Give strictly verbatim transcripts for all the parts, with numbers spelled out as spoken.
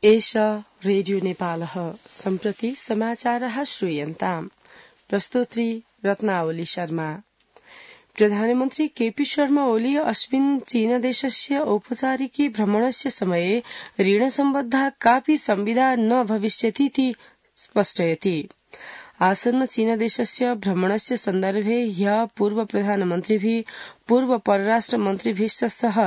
एष रेडियो नेपालः सम्प्रति समाचारः श्रूयन्ताम्। प्रस्तोत्री रत्नावली शर्मा। प्रधानमन्त्री केपी शर्मा ओली अस्मिन् चीनदेशस्य औपचारिकी भ्रमणस्य समये ऋणसम्बद्धा कापि संविदा न भविष्यतीति स्पष्टयति। आसन्न चीनदेशस्य भ्रमणस्य सन्दर्भे ह्यः पूर्व प्रधानमन्त्रिभिः पूर्व परराष्ट्र मन्त्रिभिश्च सह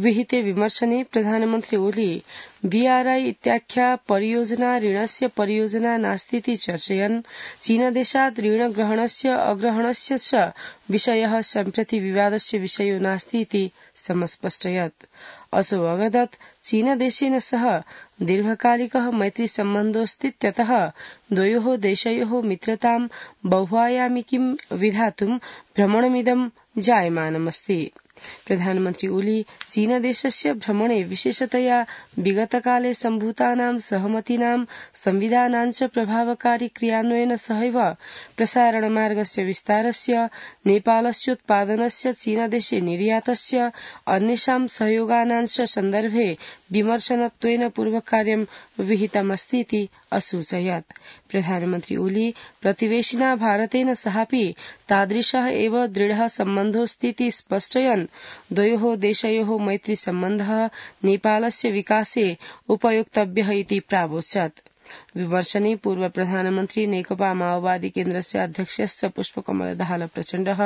विहिते विमर्शने प्रधानमन्त्री ओली बीआरआई इत्याख्या परियोजना ऋणस्य परियोजना नास्तीति चर्चयन् चीनदेशात् ऋणग्रहणस्य अग्रहणस्य च विषयः सम्प्रति विवादस्य विषयो नास्तीति समस्पष्टयत्। असौ अवदत् चीनदेशेन सह दीर्घकालिकः मैत्री सम्बन्धोऽस्तीत्यतः द्वयोः देशयोः मित्रतां बहुआयामिकीं विधातुं भ्रमणमिदं जायमानमस्ति। प्रधानमन्त्री ओली चीनदेशस्य भ्रमणे विशेषतया विगतकाले सम्भूतानां सहमतीनां संविधानां च प्रभावकारी क्रियान्वयन सहैव प्रसारणमार्गस्य विस्तारस्य नेपालस्योत्पादनस्य चीनदेशे निर्यातस्य अन्येषां सहयोगानां च सन्दर्भे विमर्शनत्वेन पूर्वकार्यं विहितमस्तीति असूचयत्। प्रधानमन्त्री ओली प्रतिवेशिना भारतेन सहापि तादृशः एव दृढः सम्बन्धोऽस्तीति स्पष्टयन् द्वयोः देशयोः मैत्री सम्बन्धः नेपालस्य विकासे उपयोक्तव्यः इति प्रावोचत्। विमर्शने पूर्व प्रधानमन्त्री नेकपा माओवादी केन्द्रस्य अध्यक्षश्च पुष्पकमल दाहाल प्रचण्डः,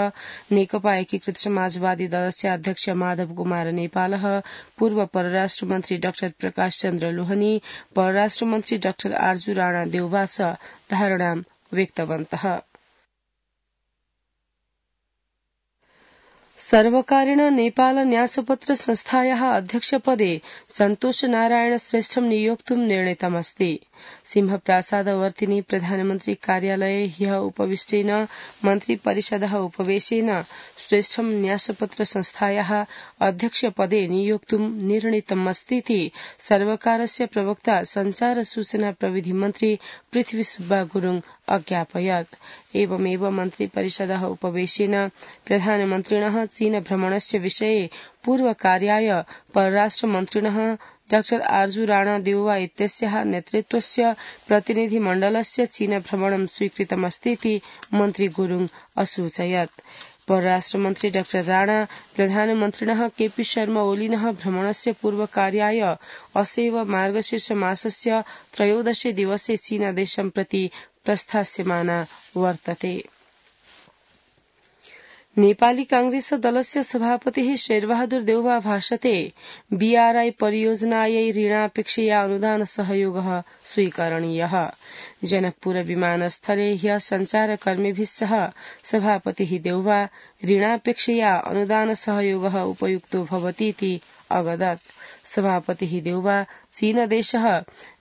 नेकपा एकीकृत समाजवादी दलस्य अध्यक्ष माधव कुमार नेपालः, पूर्व परराष्ट्र मन्त्री डाक्टर प्रकाश चन्द्र लोहनी, परराष्ट्र मन्त्री डाक्टर आर्जू राणा देउवा च धारणां व्यक्तवन्तः। सर्वकारेण नेपाल न्यासपत्र संस्थायाः अध्यक्षपदे सन्तोष नारायण श्रेष्ठं नियोक्तुं निर्णीतमस्ति। सिंहप्रासादवर्तिनि प्रधानमन्त्री कार्यालये ह्यः उपविष्टेन मन्त्रिपरिषदः उपवेशेन श्रेष्ठं न्यासपत्र संस्थायाः अध्यक्षपदे नियोक्तुं निर्णीतमस्तीति सर्वकारस्य प्रवक्ता संचार सूचना प्रविधि मन्त्री पृथ्वी सुब्बा गुरुङ अज्ञापयत्। एवमेव मन्त्रिपरिषदः उपवेशेन प्रधानमन्त्रिणः चीन भ्रमणस्य विषये पूर्वकार्याय परराष्ट्र मन्त्रिणः डाक्टर आर्जू राणा देउवा इत्यस्याः नेतृत्वस्य प्रतिनिधिमण्डलस्य चीन भ्रमणं स्वीकृतमस्तीति मन्त्री गुरुङ असूचयत्। परराष्ट्र मन्त्री डाक्टर राणा प्रधानमन्त्रिणः केपी शर्मा ओलिनः भ्रमणस्य पूर्वकार्याय असैव मार्गशीर्ष मासस्य त्रयोदशे दिवसे चीनदेशं प्रति प्रस्थास्यमाना वर्तते। नेपाली कांग्रेस दलस्य सभापतिः शेरबहादुर देउवा भाषते बीआरआई परियोजनायै ऋणापेक्षया अनुदान सहयोगः स्वीकरणीयः। जनकपुर विमानस्थले ह्यः सञ्चारकर्मिभिः सह सभापतिः देउवा ऋणापेक्षया अनुदान सहयोगः उपयुक्तो भवतीति अवदत्। सभापतिः देउवा चीनदेशः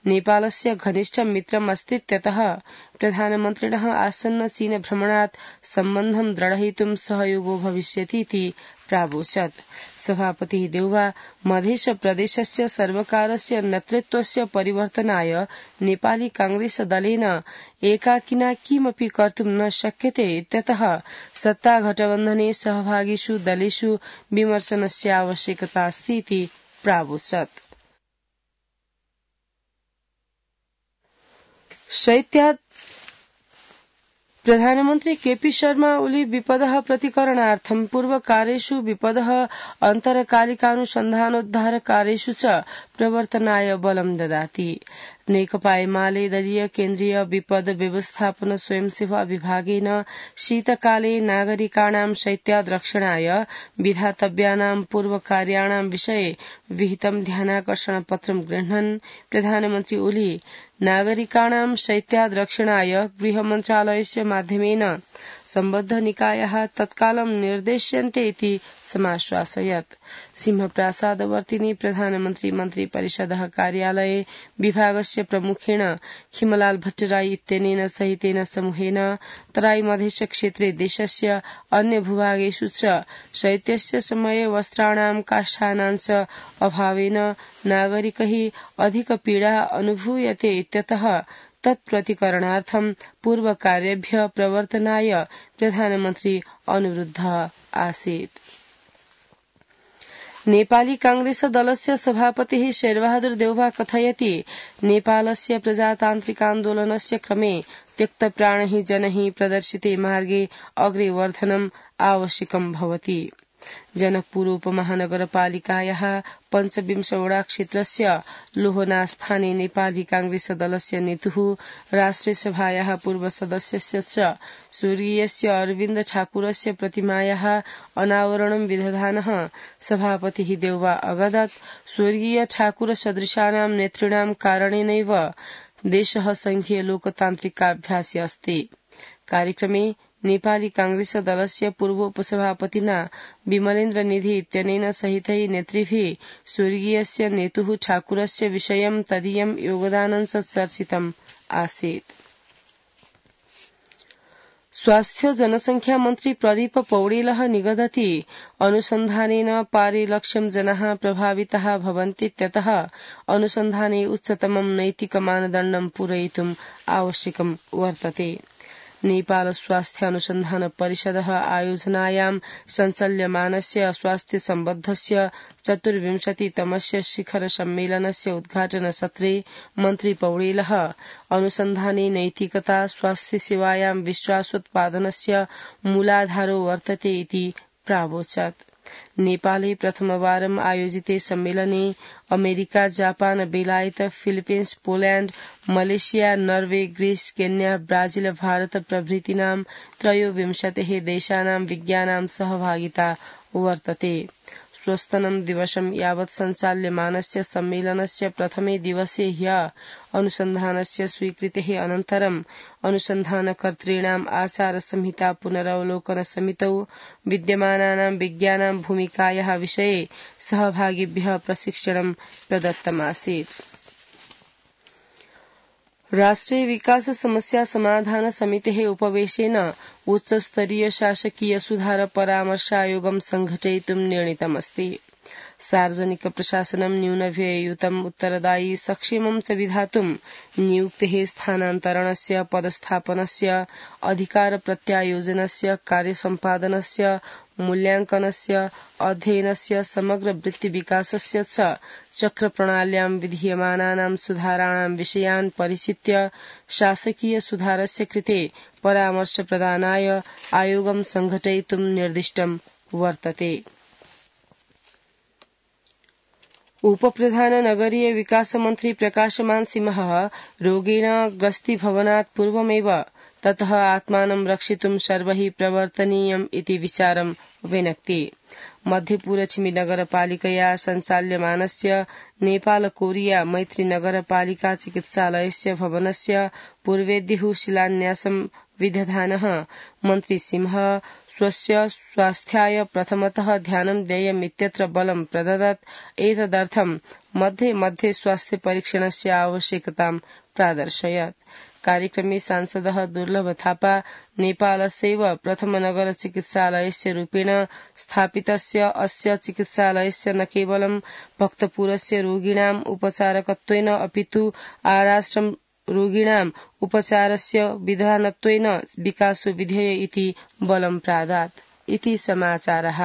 नेपालस्य घनिष्ठ मित्रम् अस्तीत्यतः प्रधानमन्त्रिणः आसन्न चीन भ्रमणात् सम्बन्धं दृढयितुं सहयोगो भविष्यतीति प्रावोचत्। सभापतिः देउवा मधेश प्रदेशस्य सर्वकारस्य नेतृत्वस्य परिवर्तनाय नेपाली कांग्रेस दलेन एकाकिना किमपि कर्तुं न शक्यते इत्यतः सत्तागठबन्धने सहभागिषु दलेषु विमर्शनस्य आवश्यकता अस्तीति प्रावोचत्। शैत्यात् प्रधानमन्त्री केपी शर्मा ओली विपदः प्रतिकरणार्थं पूर्वकार्येषु विपदः अन्तरकालिकानुसन्धानोद्धार कार्येषु च प्रवर्तनाय बलं ददाति। नेकपा एमाले दलीय केन्द्रीय विपद व्यवस्थापन स्वयंसेवा विभागेन शीतकाले नागरिकाणां शैत्याद् रक्षणाय विधातव्यानां पूर्वकार्याणां विषये विहितं ध्यानाकर्षण पत्रं गृह्णन् प्रधानमन्त्री ओली नागरिकाणां शैत्याद् रक्षणाय गृह मन्त्रालयस्य माध्यमेन सम्बद्ध निकायाः तत्कालं निर्देश्यन्ते इति समाश्वासयत्। सिंहप्रासादवर्तिनि प्रधानमन्त्री मन्त्रिपरिषदः कार्यालये विभागस्य प्रमुखेण खिमलाल भट्टराई इत्यनेन सहितेन समूहेन तराई मधेश क्षेत्रे देशस्य अन्य भूभागेषु च शैत्यस्य समये वस्त्राणां काष्ठानां च अभावेन नागरिकैः अधिक पीडा अनुभूयते इत्यतः तत्प्रतिकरणार्थं पूर्वकार्येभ्यः प्रवर्तनाय प्रधानमन्त्री अनुरुद्धः आसीत्। नेपाली कांग्रेस दलस्य सभापतिः शेरबहादुर देउवा कथयति नेपालस्य प्रजातान्त्रिकान्दोलनस्य क्रमे त्यक्तप्राणैः जनैः प्रदर्शिते मार्गे अग्रे वर्धनम् आवश्यकं भवति। जनकपुर उपमहानगरपालिकायाः पञ्चविंशवटा क्षेत्रस्य लोहनास्थाने नेपाली कांग्रेस दलस्य नेतुः राष्ट्रियसभायाः पूर्वसदस्यस्य च स्वर्गीयस्य अरविन्द ठाकुरस्य प्रतिमायाः अनावरणं विदधानः सभापतिः देउवा अगदत् स्वर्गीय ठाकुर सदृशानां नेतॄणां कारणेनैव देशः संघीय लोकतान्त्रिकाभ्यासे अस्ति। कार्यक्रमे नेपाली कांग्रेस दलस्य पूर्व उपसभापतिना विमलेन्द्र निधि इत्यनेन सहितै नेतृभिः स्वर्गीयस्य नेतुः ठाकुरस्य विषयं तदीयं योगदानं च चर्चितम् आसीत्। स्वास्थ्य जनसंख्या मन्त्री प्रदीप पौडेलः निगदति अनुसन्धानेन पारे लक्ष्यं जनाः प्रभाविताः भवन्तीत्यतः अनुसन्धाने उच्चतमं नैतिक मानदण्डं पूरयितुम् आवश्यकं वर्तते। नेपाल स्वास्थ्य अनुसन्धान परिषदः आयोजनायां सञ्चाल्यमानस्य स्वास्थ्य सम्बद्धस्य चतुर्विंशतितमस्य शिखर सम्मेलनस्य उद्घाटन सत्रे मन्त्री पौडेलः अनुसन्धाने नैतिकता स्वास्थ्य सेवायां विश्वासोत्पादनस्य मूलाधारो वर्तते इति प्रावोचत्। नेपाले प्रथमवारम् आयोजिते सम्मेलने अमेरिका जापान बेलायत Philippines Poland Malaysia Norway Greece Kenya Brazil Bharat प्रभृतीनां त्रयोविंशतिः देशानां विज्ञानां सहभागिता वर्तते। स्वस्तनं दिवसं यावत् सञ्चाल्यमानस्य सम्मेलनस्य प्रथमे दिवसे ह्यः अनुसन्धानस्य स्वीकृतेः अनन्तरं अनुसन्धानकर्तॄणाम् आचार संहिता पुनरवलोकन समितौ विद्यमानानां विज्ञानां भूमिकायाः विषये सहभागिभ्यः प्रशिक्षणं प्रदत्तमासीत्। राष्ट्रिय विकास समस्या समाधान समितेः उपवेशेन उच्चस्तरीय शासकीय सुधार परामर्शायोगं संघटयितुं निर्णीतमस्ति। सार्वजनिक प्रशासनं न्यूनव्यययुतम् उत्तरदायी सक्षेमं च विधातुं नियुक्तेः स्थानान्तरणस्य पदस्थापनस्य अधिकार प्रत्यायोजनस्य कार्यसम्पादनस्य मूल्यांकनस्य अध्ययनस्य समग्र वृत्ति विकासस्य च चक्रप्रणाल्यां विधीयमानानां सुधाराणां विषयान् परिचित्य शासकीय सुधारस्य कृते परामर्श प्रदानाय आयोगं संघटयितुं निर्दिष्टं वर्तते। उपप्रधान नगरीय विकास मन्त्री प्रकाशमान सिंहः रोगेण ग्रस्तीभवनात् पूर्वमेव ततः आत्मानं रक्षितुं सर्वैः प्रवर्तनीयम् इति विचारं विनक्ति। मध्यपूरछिमी नगरपालिकया सञ्चाल्यमानस्य नेपाल कोरिया मैत्री नगरपालिका चिकित्सालयस्य भवनस्य पूर्वेद्युः शिलान्यासं विदधानः मन्त्री सिंहः स्वस्य स्वास्थ्याय प्रथमतः ध्यानं देयमित्यत्र बलं प्रददत्। एतदर्थं मध्ये मध्ये स्वास्थ्य परीक्षणस्य आवश्यकतां प्रादर्शयत्। कार्यक्रमे सांसदः दुर्लभ थापा नेपालस्यैव प्रथम नगर चिकित्सालयस्य रूपेण स्थापितस्य अस्य चिकित्सालयस्य न केवलं भक्तपुरस्य रोगिणाम् उपचारकत्वेन अपितु आराष्ट्रं रोगिणाम् उपचारस्य विधानत्वेन विकासो विधेय इति बलं प्रादात् इति समाचारः।